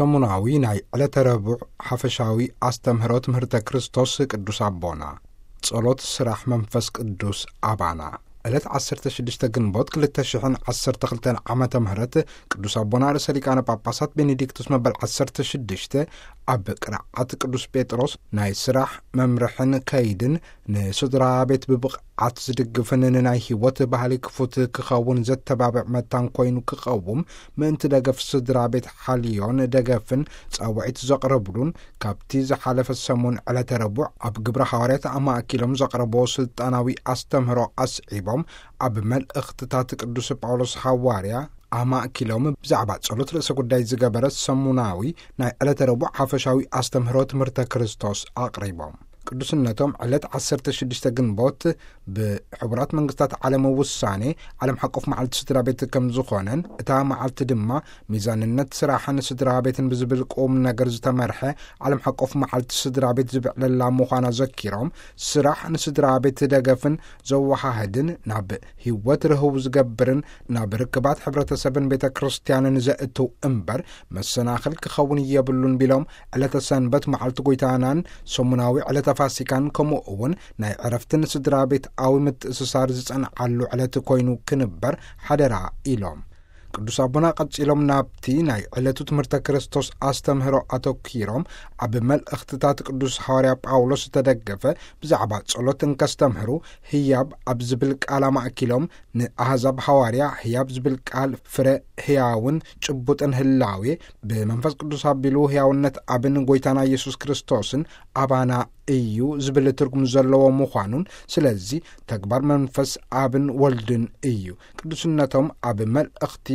ሰሙናዊ ናይ ዕለተ ረቡዕ ሓፈሻዊ ኣስተምህሮ ትምህርተ ክርስቶስ ቅዱስ ኣቦና። ጸሎት ስራሕ መንፈስ ቅዱስ ኣባና። ዕለት ዓሰርተ ሽዱሽተ ግንቦት ክልተ ሽሕን ዓሰርተ ክልተን ዓመተ ምህረት ቅዱስ ኣቦና ርእሰ ሊቃነ ጳጳሳት ቤኔዲክቱስ መበል ዓሰርተ ሽዱሽተ ኣብ ቅርዓት ቅዱስ ጴጥሮስ ናይ ስራሕ መምርሕን ከይድን ንስድራ ቤት ብብቕዓት ዝድግፍን ንናይ ህይወት ባህሊ ክፉት ክኸውን ዘተባብዕ መታን ኮይኑ ክቐውም ምእንቲ ደገፍ ስድራ ቤት ሓልዮን ደገፍን ጻውዒት ዘቕረብሉን ካብቲ ዝሓለፈ ሰሙን ዕለተ ረቡዕ ኣብ ግብረ ሃዋርያት ኣማእኪሎም ዘቕረብዎ ስልጣናዊ ኣስተምህሮ ኣስዒቦም ኣብ መልእኽትታት ቅዱስ ጳውሎስ ሃዋርያ ኣማእኪሎም ብዛዕባ ጸሎት ርእሰ ጉዳይ ዝገበረ ሰሙናዊ ናይ ዕለተ ረቡዕ ሓፈሻዊ ኣስተምህሮ ትምህርተ ክርስቶስ ኣቕሪቦም። ቅዱስነቶም ዕለት ዓሰርተ ሽዱሽተ ግንቦት ብሕቡራት መንግስታት ዓለም ውሳኔ ዓለም ሓቆፍ መዓልቲ ስድራ ቤት ከም ዝኾነን እታ መዓልቲ ድማ ሚዛንነት ስራሕን ስድራ ቤትን ብዝብል ቁም ነገር ዝተመርሐ ዓለም ሓቆፍ መዓልቲ ስድራ ቤት ዝብዕለላ ምዃና ዘኪሮም፣ ስራሕ ንስድራ ቤት ደገፍን ዘወሃህድን ናብ ህይወት ርህው ዝገብርን ናብ ርክባት ሕብረተሰብን ቤተ ክርስቲያንን ዘእትው እምበር መሰናኽል ክኸውን የብሉን ቢሎም፣ ዕለተ ሰንበት መዓልቲ ጎይታናን ሰሙናዊ ዕለተ ፋሲካን ከምኡ እውን ናይ ዕረፍትን ስድራ ቤትኣዊ ምትእስሳር ዝጸንዓሉ ዕለት ኮይኑ ክንበር ሓደራ ኢሎም። ቅዱስ ኣቦና ቀጺሎም ናብቲ ናይ ዕለቱ ትምህርተ ክርስቶስ ኣስተምህሮ ኣተኪሮም ኣብ መልእኽትታት ቅዱስ ሃዋርያ ጳውሎስ ዝተደገፈ ብዛዕባ ጸሎት እንከስተምህሩ ህያብ ኣብ ዝብል ቃል ኣማእኪሎም ንኣህዛብ ሃዋርያ ህያብ ዝብል ቃል ፍረ ህያውን ጭቡጥን ህላዌ ብመንፈስ ቅዱስ ኣቢሉ ህያውነት ኣብን ጎይታና ኢየሱስ ክርስቶስን ኣባና እዩ ዝብል ትርጉም ዘለዎ ምዃኑን ስለዚ ተግባር መንፈስ ኣብን ወልድን እዩ። ቅዱስነቶም ኣብ መልእኽቲ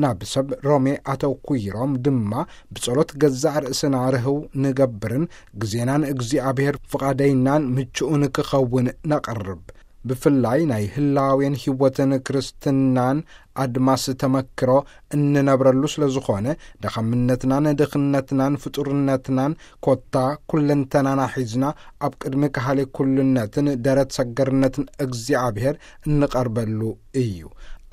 ናብ ሰብ ሮሜ ኣተኩይሮም ድማ ብጸሎት ገዛእ ርእስና ርህው ንገብርን ግዜናን እግዚኣብሔር ፍቓደይናን ምቹእን ክኸውን ነቕርብ። ብፍላይ ናይ ህላዌን ህይወትን ክርስትናን ኣድማስ ተመክሮ እንነብረሉ ስለ ዝኾነ ደኸምነትናን ድኽነትናን ፍጡርነትናን ኮታ ኩለንተናና ሒዝና ኣብ ቅድሚ ካህሌ ኩልነትን ደረት ሰገርነትን እግዚኣብሔር እንቐርበሉ እዩ።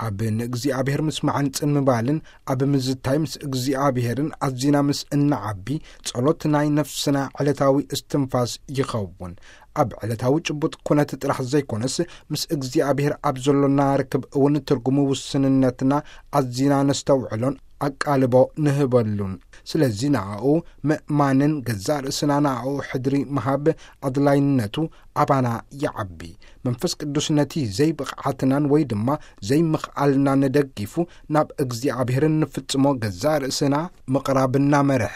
ኣብ ንእግዚኣብሔር ምስማዕን ጽን ምባልን ኣብ ምዝታይ ምስ እግዚኣብሔርን ኣዚና ምስ እንዓቢ ጸሎት ናይ ነፍስና ዕለታዊ እስትንፋስ ይኸውን። ኣብ ዕለታዊ ጭቡጥ ኩነት ጥራሕ ዘይኮነስ ምስ እግዚኣብሔር ኣብ ዘሎና ርክብ እውን ትርጉሙ ውስንነትና ኣዚና ነስተውዕሎን ኣቃልቦ ንህበሉን። ስለዚ ንኣኡ ምእማንን ገዛእ ርእስና ንኣኡ ሕድሪ ምሃብ ኣድላይነቱ ኣባና ይዓቢ። መንፈስ ቅዱስ ነቲ ዘይብቕዓትናን ወይ ድማ ዘይምኽኣልናን ነደጊፉ ናብ እግዚኣብሔር እንፍጽሞ ገዛእ ርእስና ምቕራብ እናመርሐ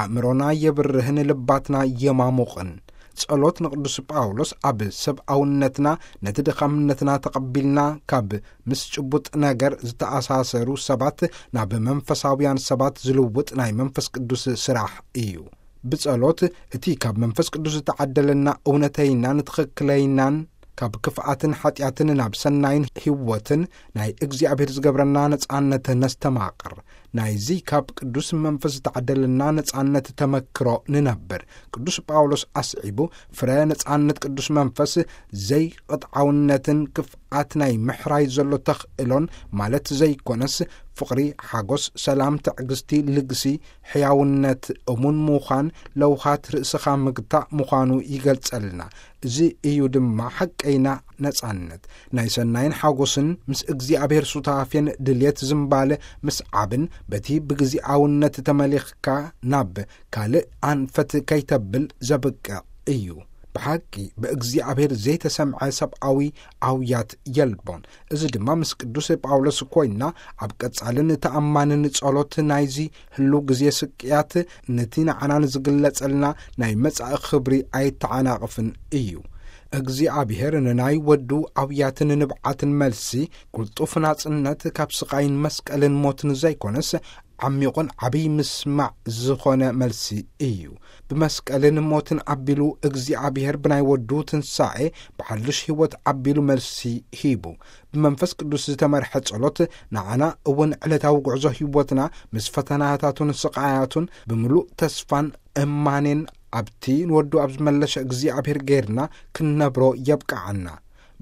ኣእምሮና የብርህን ልባትና የማሙቕን። ጸሎት ንቅዱስ ጳውሎስ ኣብ ሰብኣውነትና ነቲ ድኻምነትና ተቐቢልና ካብ ምስ ጭቡጥ ነገር ዝተኣሳሰሩ ሰባት ናብ መንፈሳውያን ሰባት ዝልውጥ ናይ መንፈስ ቅዱስ ስራሕ እዩ። ብጸሎት እቲ ካብ መንፈስ ቅዱስ ዝተዓደለና እውነተይናን ትኽክለይናን ካብ ክፍኣትን ሓጢኣትን ናብ ሰናይን ህይወትን ናይ እግዚኣብሔር ዝገብረና ነጻነት ነስተማቕር። ናይዚ ካብ ቅዱስ መንፈስ ዝተዓደለና ነጻነት ተመክሮ ንነብር። ቅዱስ ጳውሎስ ኣስዒቡ ፍረ ነጻነት ቅዱስ መንፈስ ዘይቕጥዓውነትን ክፍኣት ናይ ምሕራይ ዘሎ ተኽእሎን ማለት ዘይኮነስ ፍቕሪ፣ ሓጎስ፣ ሰላም፣ ትዕግስቲ፣ ልግሲ፣ ሕያውነት፣ እሙን ምዃን፣ ለውሃት ርእስኻ ምግታእ ምዃኑ ይገልጸልና። እዚ እዩ ድማ ሓቀይና ነጻነት። ናይ ሰናይን ሓጎስን ምስ እግዚኣብሔር ሱታፌን ድልየት ዝምባለ ምስዓብን በቲ ብግዚኣውነት ተመሊኽካ ናብ ካልእ ኣንፈት ከይተብል ዘብቅዕ እዩ። ብሓቂ ብእግዚኣብሔር ዘይተሰምዐ ሰብኣዊ ኣውያት የልቦን። እዚ ድማ ምስ ቅዱስ ጳውሎስ ኮይንና ኣብ ቀጻልን ተኣማንን ጸሎት ናይዚ ህሉ ግዜ ስቅያት ነቲ ንዓና ንዝግለጸልና ናይ መጻኢ ክብሪ ኣይተዓናቕፍን እዩ። እግዚኣብሔር ንናይ ወዱ ኣውያትን ንብዓትን መልሲ ቅልጡፍ ናጽነት ካብ ስቓይን መስቀልን ሞትን ዘይኮነስ ዓሚቑን ዓብይ ምስማዕ ዝኾነ መልሲ እዩ። ብመስቀልን ሞትን ኣቢሉ እግዚኣብሔር ብናይ ወዱ ትንሳኤ ብሓድሽ ህይወት ኣቢሉ መልሲ ሂቡ። ብመንፈስ ቅዱስ ዝተመርሐ ጸሎት ንዓና እውን ዕለታዊ ጉዕዞ ህይወትና ምስ ፈተናታቱን ስቓያቱን ብምሉእ ተስፋን እማኔን ኣብቲ ንወዱ ኣብ ዝመለሰ እግዚኣብሔር ጌርና ክንነብሮ የብቅዓና።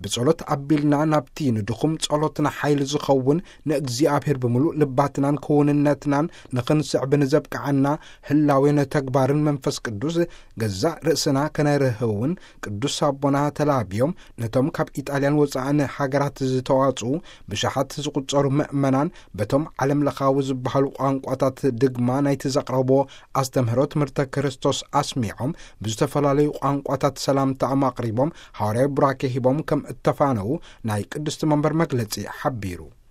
ብጸሎት ኣቢልና ናብቲ ንድኹም ጸሎትና ሓይሊ ዝኸውን ንእግዚኣብሔር ብምሉእ ልባትናን ክውንነትናን ንኽንስዕብ ንዘብቅዓና ህላዌን ተግባርን መንፈስ ቅዱስ ገዛእ ርእስና ከነርህውን ቅዱስ ኣቦና ተላብዮም ነቶም ካብ ኢጣልያን ወጻእን ሃገራት ዝተዋጽኡ ብሽሓት ዝቑጸሩ ምእመናን በቶም ዓለም ለኻዊ ዝበሃሉ ቋንቋታት ድግማ ናይቲ ዘቕረብዎ ኣስተምህሮ ትምህርተ ክርስቶስ ኣስሚዖም ብዝተፈላለዩ ቋንቋታት ሰላምታኦም ኣቕሪቦም ሃዋርያዊ ቡራኬ ሂቦም ከም እተፋነዉ ናይ ቅድስቲ መንበር መግለጺ ሓቢሩ።